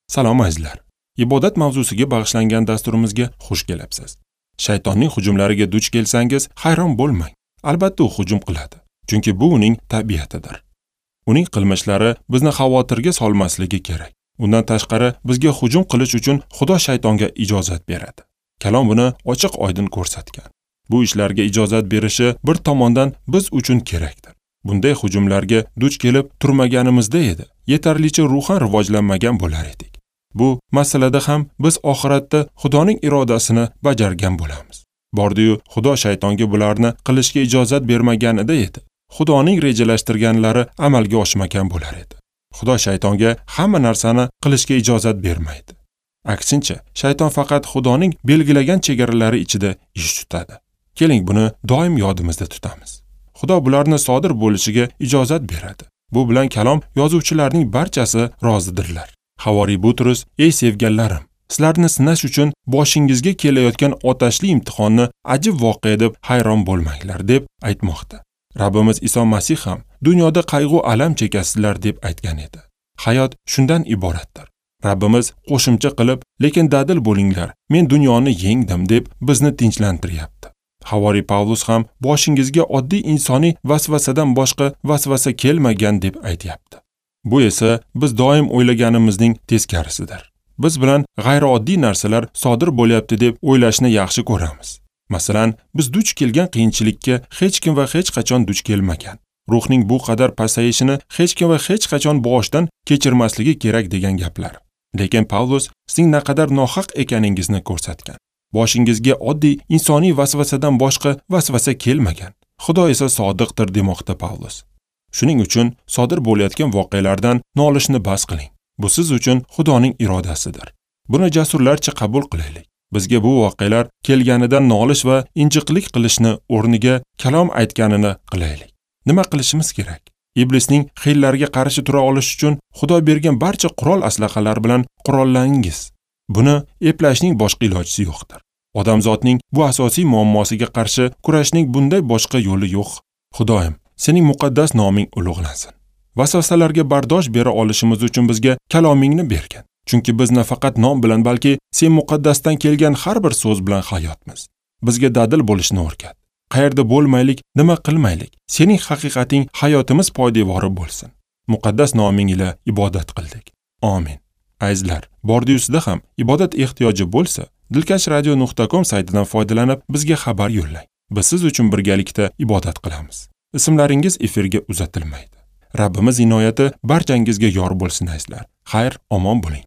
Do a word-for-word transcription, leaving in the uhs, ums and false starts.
Salom azizlar. Ibodat mavzusiga bag'ishlangan dasturimizga xush kelibsiz. Shaytonning hujumlariga duch kelsangiz, hayron bo'lmang. Albatta u hujum qiladi, chunki bu uning tabiatidir. Uning qilmishlari bizni xavotirga solmasligi kerak. Undan tashqari bizga hujum qilish uchun Xudo shaytonga ijozat beradi. Kalom buni ochiq oydin ko'rsatgan. Bu ishlarga ijozat berishi bir tomondan biz uchun kerakdir. Bunday hujumlarga duch kelib turmaganimizda edi, yetarlicha ruhan rivojlanmagan bo'lar edik. Bu masalada ham biz oxiratda Xudoning irodasini bajargan bo'lamiz. Bordi-yu Xudo shaytonga bularni qilishga ijozat bermaganida edi, Xudoning rejalashtirganlari amalga oshmagan bo'lar edi. Xudo shaytonga hamma narsani qilishga ijozat bermaydi. Aksincha, shayton faqat Xudoning belgilagan chegaralari ichida ish tutadi. Keling, buni doim yodimizda tutamiz. Xudo bularni sodir bo'lishiga ijozat beradi. Bu bilan kalom yozuvchilarning barchasi rozidirlar. Havoriy Butrus: "Ey sevganlarim, sizlarni sinash uchun boshingizga kelayotgan otashli imtihonni ajib voqea deb hayron bo'lmanglar" deb aytmoqda. Rabbimiz Iso Masih ham dunyoda qayg'u alam chekasizlar deb aytgan edi. Hayot shundan iboratdir. Rabbimiz qo'shimcha qilib, lekin dadil bo'linglar, men dunyoni yengdim deb bizni tinchlantiryapti. Havoriy Pavlus ham boshingizga oddiy insoniy vasvasadan boshqa vasvasa kelmagan deb aytyapti. Bu esa biz doim o'ylaganimizning teskarisidir. Biz bilan g'ayrioddiy narsalar sodir bo'lyapti deb o'ylashni yaxshi ko'ramiz. Masalan, biz duch kelgan qiyinchilikka hech kim va hech qachon duch kelmagan. Ruhning bu qadar pasayishini hech kim va hech qachon boshdan kechirmasligi kerak degan gaplar. Lekin Pavlus sizning naqadar nohaq ekaningizni ko'rsatgan. Boshingizga oddiy insoniy vasvasadan boshqa vasvasa kelmagan. Xudo esa sodiqdir demoqda Pavlus. Shuning uchun sodir bo'layotgan voqealardan nolishni bas qiling. Bu siz uchun Xudoning irodasidir. Buni jasurlarcha qabul qilaylik. Bizga bu voqealar kelganidan nolish va injiqlik qilishni o'rniga kalom aytganini qilaylik. Nima qilishimiz kerak? Iblisning hiylariga qarshi tura olish uchun Xudo bergan barcha qurol aslahalar bilan qurollangiz. Buni eplashning boshqa ilojisi yo'qdir. Odamzotning bu asosiy muammosiga qarshi kurashning bunday boshqa yo'li yo'q. Xudoyim, sening muqaddas noming ulug'lansin. Vasvasalarga bardosh bera olishimiz uchun bizga kalomingni bergin. Chunki biz nafaqat nom bilan, balki sen muqaddasdan kelgan har bir so'z bilan hayotmiz. Bizga dadil bo'lishni o'rgat. Qayerda bo'lmaylik, nima qilmaylik, sening haqiqating hayotimiz poydevori bo'lsin. Muqaddas noming ila ibodat qildik. Amin. Azizlar, bordi-yusida ham ibodat ehtiyoji bo'lsa, dilkash radio nuqta com saytidan foydalanib bizga xabar yo'llang. Biz siz uchun birgalikda ibodat qilamiz. Ismlaringiz efirga uzatilmaydi. Rabbimiz inoyati barchangizga yor bo'lsin azizlar. Xayr, omon bo'ling.